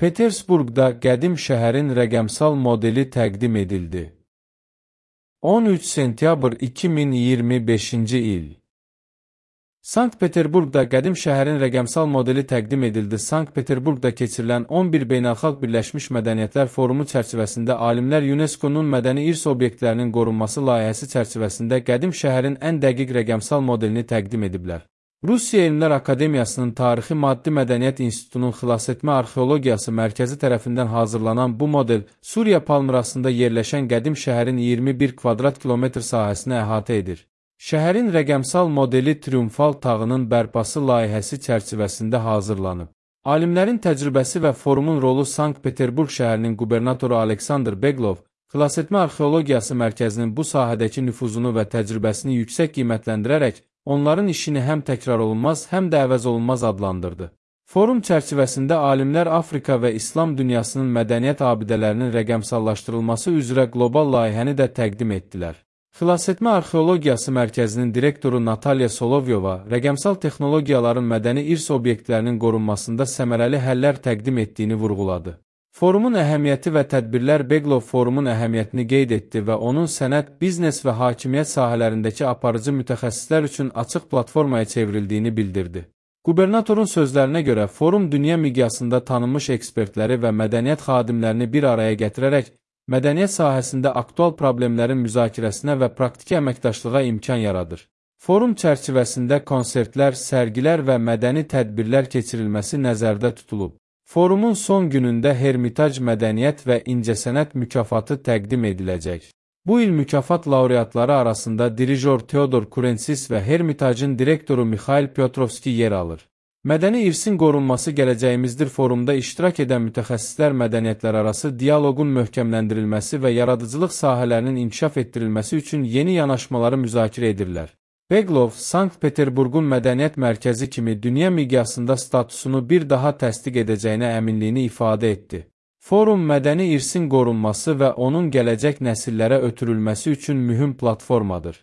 Petersburqda qədim şəhərin rəqəmsal modeli təqdim edildi. 13 sentyabr 2025-ci il. Sankt-Peterburqda qədim şəhərin rəqəmsal modeli təqdim edildi. Sankt-Peterburqda keçirilən 11 Beynəlxalq Birləşmiş Mədəniyyətlər Forumu çərçivəsində alimlər UNESCO-nun mədəni irs obyektlərinin qorunması layihəsi çərçivəsində qədim şəhərin ən dəqiq rəqəmsal modelini təqdim ediblər. Rusiya Elmlər Akademiyasının Tarixi Maddi Mədəniyyət İnstitutunun Xilasetmə Arxeologiyası Mərkəzi tərəfindən hazırlanan bu model Suriya Palmırasında yerləşən qədim şəhərin 21 kvadrat kilometr sahəsini əhatə edir. Şəhərin rəqəmsal modeli Triumfal tağının bərpası layihəsi çərçivəsində hazırlanıb. Alimlərin təcrübəsi və forumun rolu Sankt-Peterburq şəhərinin qubernatoru Aleksandr Beglov, Xilasetmə Arxeologiyası Mərkəzinin bu sahədəki nüfuzunu və təcrübəsini yüksək qiymətləndirərək, onların işini həm təkrarolunmaz, həm də əvəzolunmaz adlandırdı. Forum çərçivəsində alimlər Afrika və İslam dünyasının mədəniyyət abidələrinin rəqəmsallaşdırılması üzrə qlobal layihəni də təqdim etdilər. Xilasetmə Arxeologiyası Mərkəzinin direktoru Natalya Solovyova rəqəmsal texnologiyaların mədəni irs obyektlərinin qorunmasında səmərəli həllər təqdim etdiyini vurğuladı. Forumun əhəmiyyəti və tədbirlər Beglov forumun əhəmiyyətini qeyd etdi və onun sənət, biznes və hakimiyyət sahələrindəki aparıcı mütəxəssislər üçün açıq platformaya çevrildiyini bildirdi. Qubernatorun sözlərinə görə, forum dünya miqyasında tanınmış ekspertləri və mədəniyyət xadimlərini bir araya gətirərək, mədəniyyət sahəsində aktual problemlərin müzakirəsinə və praktiki əməkdaşlığa imkan yaradır. Forum çərçivəsində konsertlər, sərgilər və mədəni tədbirlər keçirilməsi nəzərdə tutulub. Forumun son günündə Hermitaj Mədəniyyət və İncəsənət mükafatı təqdim ediləcək. Bu il mükafat laureatları arasında dirijor Teodor Kurensis və Hermitajın direktoru Mikhail Pyotrovski yer alır. Mədəni irsin qorunması gələcəyimizdir forumda iştirak edən mütəxəssislər mədəniyyətlərarası dialoqun möhkəmləndirilməsi və yaradıcılıq sahələrinin inkişaf etdirilməsi üçün yeni yanaşmaları müzakirə edirlər. Beglov, Sankt-Peterburqun mədəniyyət mərkəzi kimi dünya miqyasında statusunu bir daha təsdiq edəcəyinə əminliyini ifadə etdi. Forum mədəni irsin qorunması və onun gələcək nəsillərə ötürülməsi üçün mühüm platformadır.